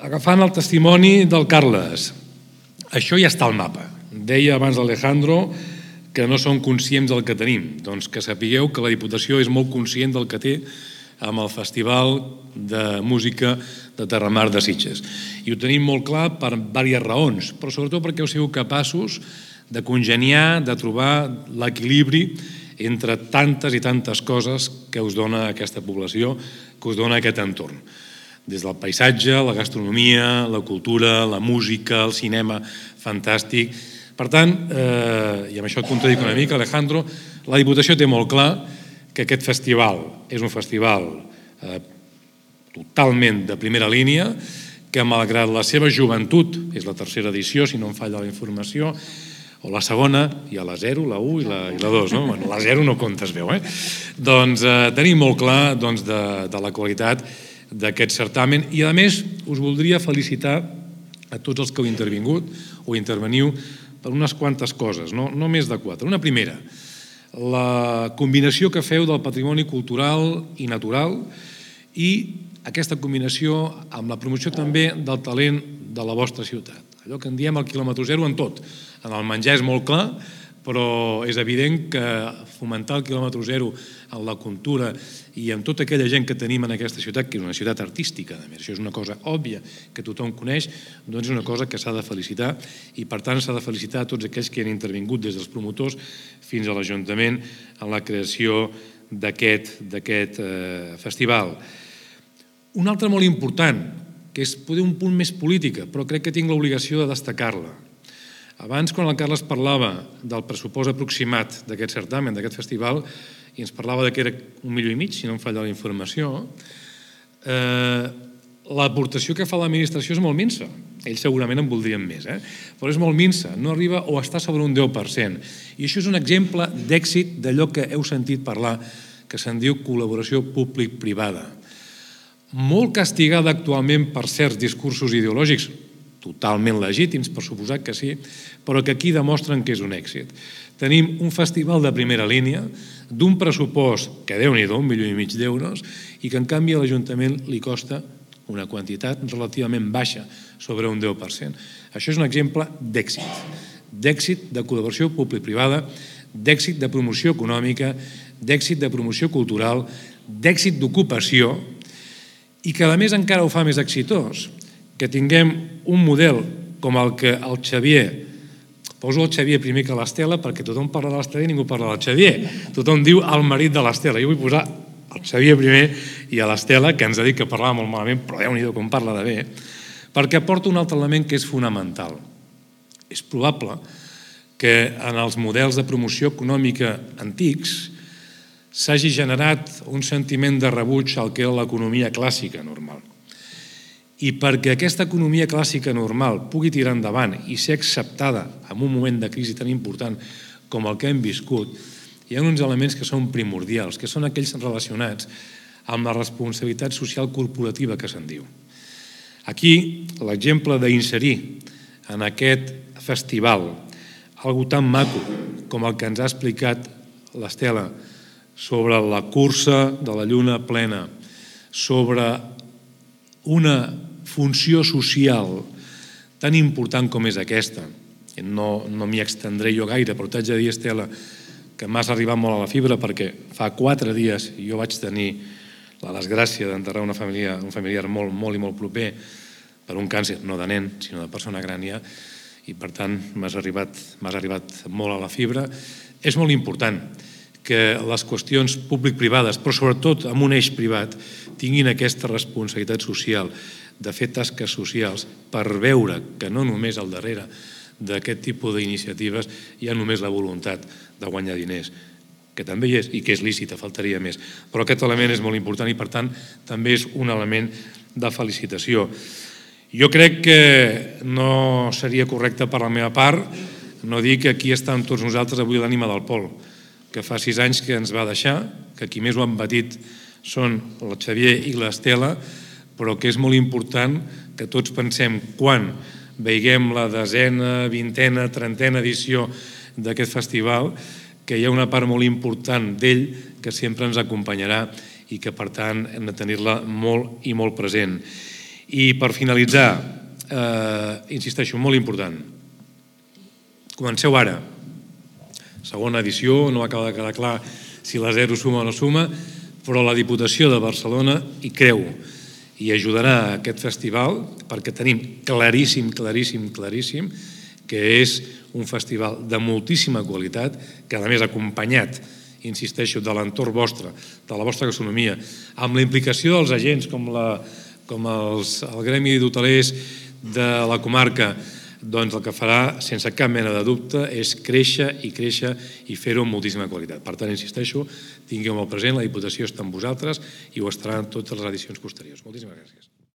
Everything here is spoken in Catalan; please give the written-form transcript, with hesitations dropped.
Agafant el testimoni del Carles, això ja està al mapa. Deia abans l'Alejandro que no són conscients del que tenim. Doncs que sapigueu que la Diputació és molt conscient del que té amb el Festival de Música de Terramar de Sitges. I ho tenim molt clar per diverses raons, però sobretot perquè heu sigut capaços de congeniar, de trobar l'equilibri entre tantes i tantes coses que us dona aquesta població, que us dona aquest entorn. Des del paisatge, la gastronomia, la cultura, la música, el cinema, fantàstic. Per tant, i amb això et contradic una mica, Alejandro, la Diputació té molt clar que aquest festival és un festival totalment de primera línia, que malgrat la seva joventut, és la tercera edició, si no em falla la informació, o la segona, hi ha la 0, la 1 i la 2, no? Bueno, la 0 no compta, es veu, Doncs tenim molt clar de la qualitat d'aquest certamen i, a més, us voldria felicitar a tots els que heu intervingut o interveniu per unes quantes coses, no més de 4. Una primera, la combinació que feu del patrimoni cultural i natural i aquesta combinació amb la promoció també del talent de la vostra ciutat. Allò que en diem el quilòmetre zero en tot. En el menjar és molt clar, però és evident que fomentar el quilòmetre zero en la cultura i amb tota aquella gent que tenim en aquesta ciutat, que és una ciutat artística, a més, això és una cosa òbvia que tothom coneix, doncs és una cosa que s'ha de felicitar i per tant s'ha de felicitar a tots aquells que han intervingut des dels promotors fins a l'Ajuntament en la creació d'aquest festival. Una altra molt important, que és poder un punt més política, però crec que tinc l'obligació de destacar-la. Abans, quan el Carles parlava del pressupost aproximat d'aquest certamen, d'aquest festival, i ens parlava que era 1,5 milions, si no em falla la informació, l'aportació que fa l'administració és molt minsa. Ells segurament en voldrien més, però és molt minsa, no arriba o està sobre un 10%. I això és un exemple d'èxit d'allò que heu sentit parlar, que se'n diu col·laboració públic-privada. Molt castigada actualment per certs discursos ideològics, totalment legítims, per suposat que sí, però que aquí demostren que és un èxit. Tenim un festival de primera línia, d'un pressupost que, Déu-n'hi-do, 1,5 milions d'euros, i que en canvi a l'Ajuntament li costa una quantitat relativament baixa, sobre un 10%. Això és un exemple d'èxit de col·laboració públic-privada, d'èxit de promoció econòmica, d'èxit de promoció cultural, d'èxit d'ocupació, i que a més encara ho fa més exitós, que tinguem un model com el que el Xavier, poso el Xavier primer que l'Estela perquè tothom parla de l'Estela i ningú parla del Xavier, tothom diu el marit de l'Estela, jo vull posar el Xavier primer i a l'Estela, que ens ha dit que parlava molt malament, però Déu-n'hi-do com parla de bé, perquè aporta un altre element que és fonamental. És probable que en els models de promoció econòmica antics s'hagi generat un sentiment de rebuig al que era l'economia clàssica normal. I perquè aquesta economia clàssica normal pugui tirar endavant i ser acceptada en un moment de crisi tan important com el que hem viscut, hi ha uns elements que són primordials, que són aquells relacionats amb la responsabilitat social corporativa que se'n diu. Aquí, l'exemple d'inserir en aquest festival algo tan maco com el que ens ha explicat l'Estela sobre la cursa de la lluna plena, sobre una funció social tan important com és aquesta. No m'hi extendré jo gaire, però t'haig de dir, Estela, que m'has arribat molt a la fibra perquè fa 4 dies jo vaig tenir la desgràcia d'enterrar un familiar molt i molt proper per un càncer, no de nen, sinó de persona gran ja, i per tant m'has arribat molt a la fibra. És molt important que les qüestions públic-privades, però sobretot amb un eix privat, tinguin aquesta responsabilitat social de fer tasques socials per veure que no només al darrere d'aquest tipus d'iniciatives hi ha només la voluntat de guanyar diners, que també hi és i que és lícita, faltaria més. Però aquest element és molt important i, per tant, també és un element de felicitació. Jo crec que no seria correcte per la meva part no dir que aquí estan tots nosaltres avui l'ànima del Pol, que fa 6 anys que ens va deixar, que qui més ho han patit són el Xavier i l'Estela, però que és molt important que tots pensem quan veiguem la 10ª, 20ª, 30ª edició d'aquest festival, que hi ha una part molt important d'ell que sempre ens acompanyarà i que, per tant, hem de tenir-la molt i molt present. I per finalitzar, insisteixo, molt important, comenceu ara. Segona edició, no acaba de quedar clar si la zero suma o no suma, però la Diputació de Barcelona hi creu i ajudarà a aquest festival perquè tenim claríssim que és un festival de moltíssima qualitat, que a més acompanyat, insisteixo, de l'entorn vostre, de la vostra gastronomia, amb la implicació dels agents com el Gremi d'Hotelers de la comarca, doncs el que farà, sense cap mena de dubte, és créixer i fer-ho amb moltíssima qualitat. Per tant, insisteixo, tingueu molt present, la Diputació està amb vosaltres i ho estarà en totes les edicions posteriors. Moltíssimes gràcies.